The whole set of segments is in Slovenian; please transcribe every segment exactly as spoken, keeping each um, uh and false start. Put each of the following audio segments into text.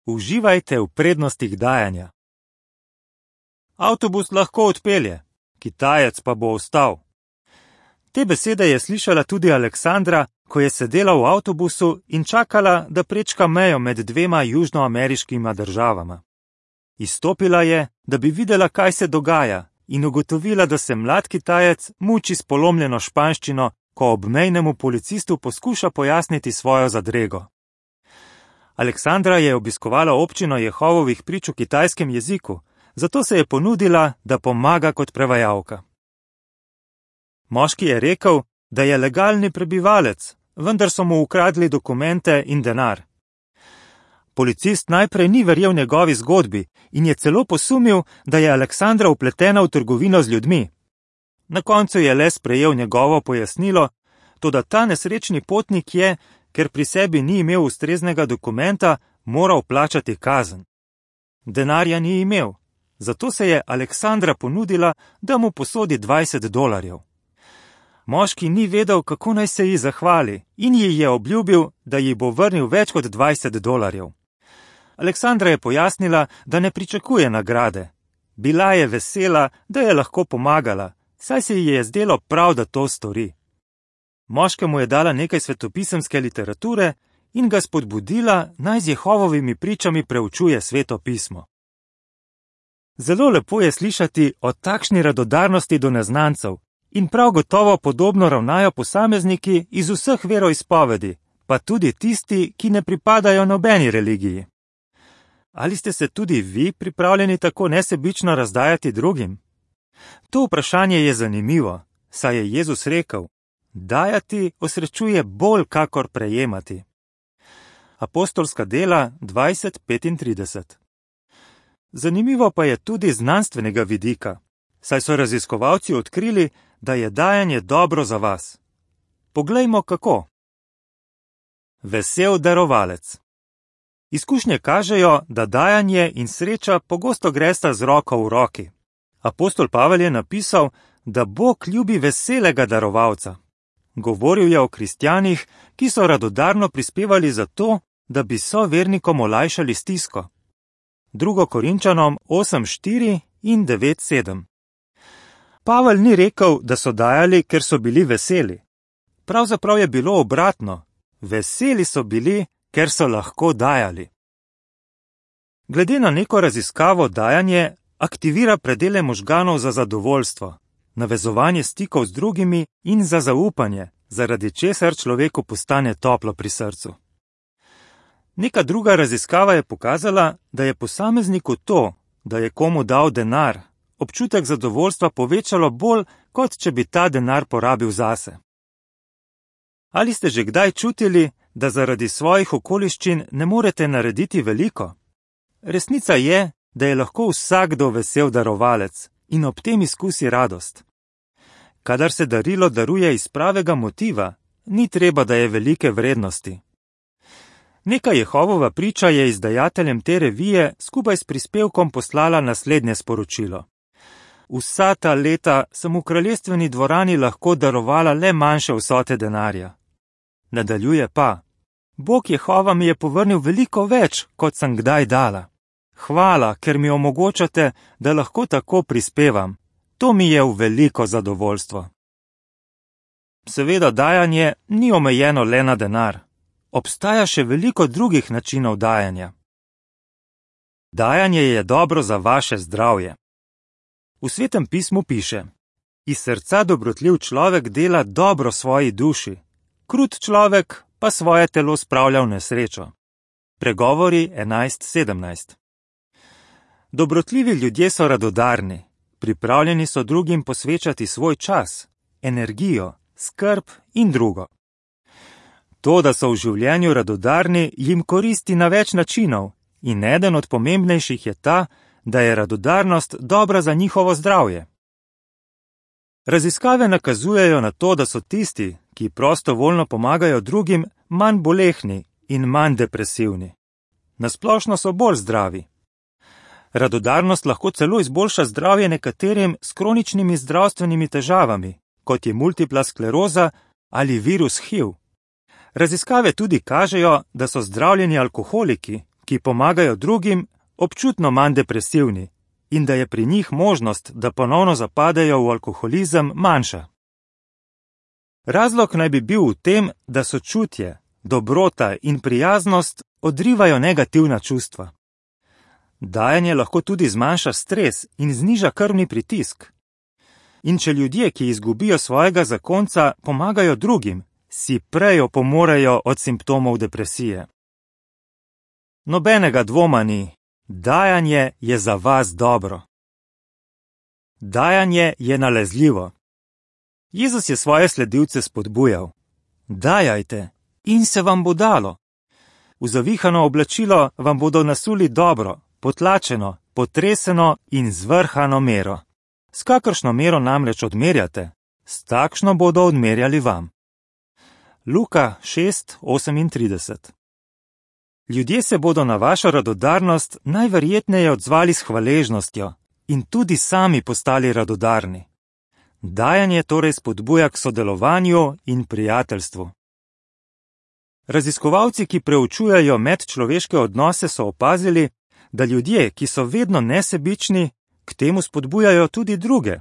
Uživajte v prednostih dajanja. Avtobus lahko odpelje, Kitajec pa bo ostal. Te besede je slišala tudi Aleksandra, ko je sedela v avtobusu in čakala, da prečka mejo med dvema južnoameriškima državama. Izstopila je, da bi videla, kaj se dogaja, in ugotovila, da se mlad Kitajec muči s polomljeno španščino, ko obmejnemu policistu poskuša pojasniti svojo zadrego. Aleksandra je obiskovala občino Jehovovih prič v kitajskem jeziku, zato se je ponudila, da pomaga kot prevajalka. Moški je rekel, da je legalni prebivalec, vendar so mu ukradli dokumente in denar. Policist najprej ni verjel njegovi zgodbi in je celo posumil, da je Aleksandra vpletena v trgovino z ljudmi. Na koncu je le sprejel njegovo pojasnilo, toda ta nesrečni potnik je, ker pri sebi ni imel ustreznega dokumenta, moral plačati kazen. Denarja ni imel, zato se je Aleksandra ponudila, da mu posodi dvajset dolarjev. Moški ni vedel, kako naj se ji zahvali, in ji je obljubil, da ji bo vrnil več kot dvajset dolarjev. Aleksandra je pojasnila, da ne pričakuje nagrade. Bila je vesela, da je lahko pomagala, saj se ji je zdelo prav, da to stori. Moškemu je dala nekaj svetopisemske literature in ga spodbudila, naj z Jehovovimi pričami preučuje Sveto pismo. Zelo lepo je slišati o takšni radodarnosti do neznancev in prav gotovo podobno ravnajo posamezniki iz vseh veroizpovedi, pa tudi tisti, ki ne pripadajo nobeni religiji. Ali ste se tudi vi pripravljeni tako nesebično razdajati drugim? To vprašanje je zanimivo, saj je Jezus rekel: dajati osrečuje bolj kakor prejemati. Apostolska dela dvajset petintrideset. Zanimivo pa je tudi znanstvenega vidika, saj so raziskovalci odkrili, da je dajanje dobro za vas. Poglejmo kako. Vesel darovalec. Izkušnje kažejo, da dajanje in sreča pogosto gresta z roko v roki. Apostol Pavel je napisal, da Bog ljubi veselega darovalca. Govoril je o kristjanih, ki so radodarno prispevali za to, da bi sovernikom olajšali stisko. Drugo Korinčanom osem štiri in devet sedem. Pavel ni rekel, da so dajali, ker so bili veseli. Pravzaprav je bilo obratno. Veseli so bili, ker so lahko dajali. Glede na neko raziskavo dajanje aktivira predele možganov za zadovoljstvo, navezovanje stikov z drugimi in za zaupanje, zaradi česar človeku postane toplo pri srcu. Neka druga raziskava je pokazala, da je posamezniku to, da je komu dal denar, občutek zadovoljstva povečalo bolj, kot če bi ta denar porabil zase. Ali ste že kdaj čutili, da zaradi svojih okoliščin ne morete narediti veliko? Resnica je, da je lahko vsakdo vesel darovalec in ob tem izkusi radost. Kadar se darilo daruje iz pravega motiva, ni treba, da je velike vrednosti. Neka Jehovova priča je izdajateljem te revije skupaj s prispevkom poslala naslednje sporočilo. Vsa ta leta sem v kraljestveni dvorani lahko darovala le manjše vsote denarja. Nadaljuje pa: Bog Jehova mi je povrnil veliko več, kot sem kdaj dala. Hvala, ker mi omogočate, da lahko tako prispevam. To mi je v veliko zadovoljstvo. Seveda dajanje ni omejeno le na denar. Obstaja še veliko drugih načinov dajanja. Dajanje je dobro za vaše zdravje. V Svetem pismu piše: iz srca dobrotljiv človek dela dobro svoji duši, krut človek pa svoje telo spravlja v nesrečo. Pregovori enajst sedemnajst. Dobrotljivi ljudje so radodarni, pripravljeni so drugim posvečati svoj čas, energijo, skrb in drugo. To, da so v življenju radodarni, jim koristi na več načinov in eden od pomembnejših je ta, da je radodarnost dobra za njihovo zdravje. Raziskave nakazujejo na to, da so tisti, ki prostovoljno pomagajo drugim, manj bolehni in manj depresivni. Nasplošno so bolj zdravi. Radodarnost lahko celo izboljša zdravje nekaterim s kroničnimi zdravstvenimi težavami, kot je multipla skleroza ali virus H I V. Raziskave tudi kažejo, da so zdravljeni alkoholiki, ki pomagajo drugim, občutno manj depresivni in da je pri njih možnost, da ponovno zapadejo v alkoholizem, manjša. Razlog naj bi bil v tem, da sočutje, dobrota in prijaznost odrivajo negativna čustva. Dajanje lahko tudi zmanjša stres in zniža krvni pritisk. In če ljudje, ki izgubijo svojega zakonca, pomagajo drugim, si prej opomorejo od simptomov depresije. Nobenega dvoma ni, dajanje je za vas dobro. Dajanje je nalezljivo. Jezus je svoje sledilce spodbujal: dajajte in se vam bo dalo. V zavihano oblačilo vam bodo nasuli dobro, potlačeno, potreseno in zvrhano mero. S kakršno mero namreč odmerjate, s takšno bodo odmerjali vam. Luka šest osemintrideset. Ljudje se bodo na vašo radodarnost najverjetneje odzvali s hvaležnostjo in tudi sami postali radodarni. Dajanje torej spodbuja k sodelovanju in prijateljstvu. Raziskovalci, ki preučujejo medčloveške odnose, so opazili, da ljudje, ki so vedno nesebični, k temu spodbujajo tudi druge.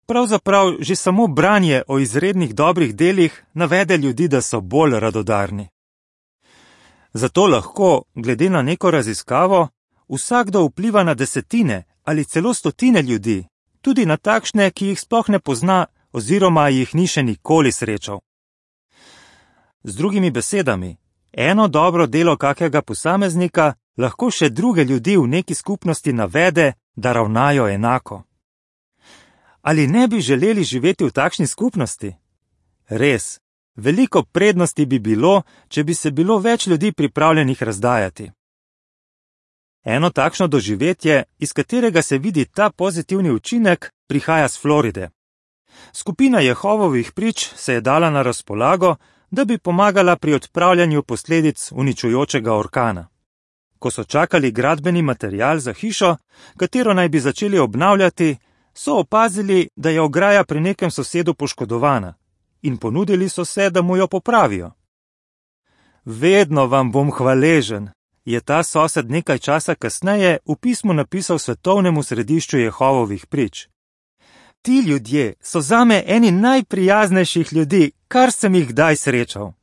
Pravzaprav že samo branje o izrednih dobrih delih navede ljudi, da so bolj radodarni. Zato lahko, glede na neko raziskavo, vsakdo vpliva na desetine ali celo stotine ljudi, tudi na takšne, ki jih sploh ne pozna oziroma jih ni še nikoli srečal. Z drugimi besedami, eno dobro delo kakega posameznika lahko še druge ljudi v neki skupnosti navede, da ravnajo enako. Ali ne bi želeli živeti v takšni skupnosti? Res, veliko prednosti bi bilo, če bi se bilo več ljudi pripravljenih razdajati. Eno takšno doživetje, iz katerega se vidi ta pozitivni učinek, prihaja z Floride. Skupina Jehovovih prič se je dala na razpolago, da bi pomagala pri odpravljanju posledic uničujočega orkana. Ko so čakali gradbeni material za hišo, katero naj bi začeli obnavljati, so opazili, da je ograja pri nekem sosedu poškodovana in ponudili so se, da mu jo popravijo. Vedno vam bom hvaležen, je ta sosed nekaj časa kasneje v pismu napisal Svetovnemu središču Jehovovih prič. Ti ljudje so zame eni najprijaznejših ljudi, kar sem jih kdaj srečal.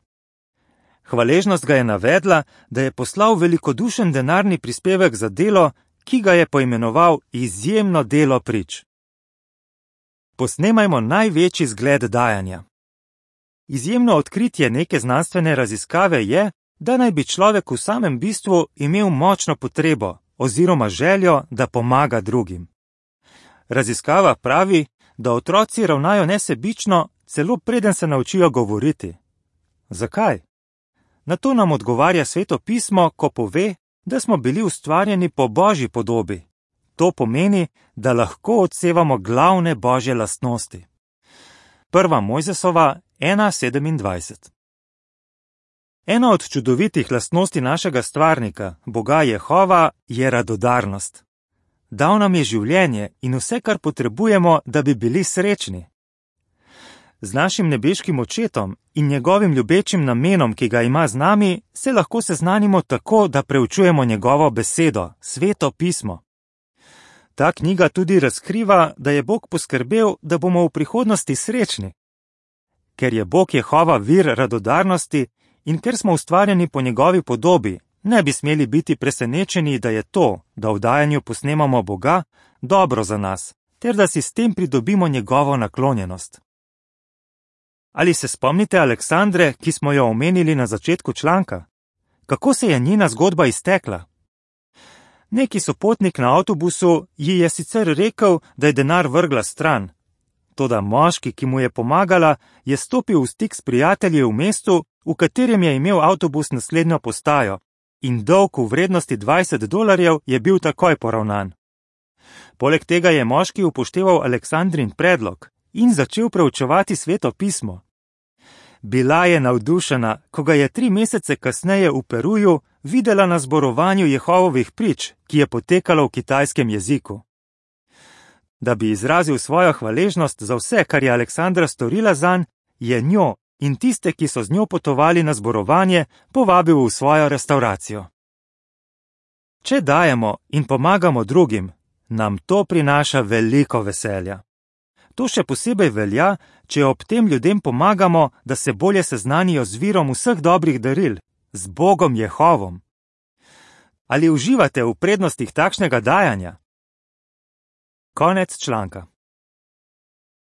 Hvaležnost ga je navedla, da je poslal velikodušen denarni prispevek za delo, ki ga je poimenoval izjemno delo prič. Posnemajmo največji zgled dajanja. Izjemno odkritje neke znanstvene raziskave je, da naj bi človek v samem bistvu imel močno potrebo oziroma željo, da pomaga drugim. Raziskava pravi, da otroci ravnajo nesebično, celo preden se naučijo govoriti. Zakaj? Na to nam odgovarja Sveto pismo, ko pove, da smo bili ustvarjeni po Božji podobi. To pomeni, da lahko odsevamo glavne Božje lastnosti. Prva Mojzesova ena sedemindvajset. Ena od čudovitih lastnosti našega stvarnika, Boga Jehova, je radodarnost. Dal nam je življenje in vse, kar potrebujemo, da bi bili srečni. Z našim nebeškim očetom in njegovim ljubečim namenom, ki ga ima z nami, se lahko seznanimo tako, da preučujemo njegovo besedo, Sveto pismo. Ta knjiga tudi razkriva, da je Bog poskrbel, da bomo v prihodnosti srečni. Ker je Bog Jehova vir radodarnosti in ker smo ustvarjeni po njegovi podobi, ne bi smeli biti presenečeni, da je to, da v dajanju posnemamo Boga, dobro za nas, ter da si s tem pridobimo njegovo naklonjenost. Ali se spomnite Aleksandre, ki smo jo omenili na začetku članka? Kako se je njena zgodba iztekla? Neki sopotnik na avtobusu ji je sicer rekel, da je denar vrgla stran. Toda moški, ki mu je pomagala, je stopil v stik s prijatelji v mestu, v katerem je imel avtobus naslednjo postajo, in dolg v vrednosti dvajset dolarjev je bil takoj poravnan. Poleg tega je moški upošteval Aleksandrin predlog in začel preučevati Sveto pismo. Bila je navdušena, ko ga je tri mesece kasneje v Peruju videla na zborovanju Jehovovih prič, ki je potekalo v kitajskem jeziku. Da bi izrazil svojo hvaležnost za vse, kar je Aleksandra storila zanj, je njo in tiste, ki so z njo potovali na zborovanje, povabil v svojo restavracijo. Če dajemo in pomagamo drugim, nam to prinaša veliko veselja. To še posebej velja, če ob tem ljudem pomagamo, da se bolje seznanijo z virom vseh dobrih daril, z Bogom Jehovom. Ali uživate v prednostih takšnega dajanja? Konec članka.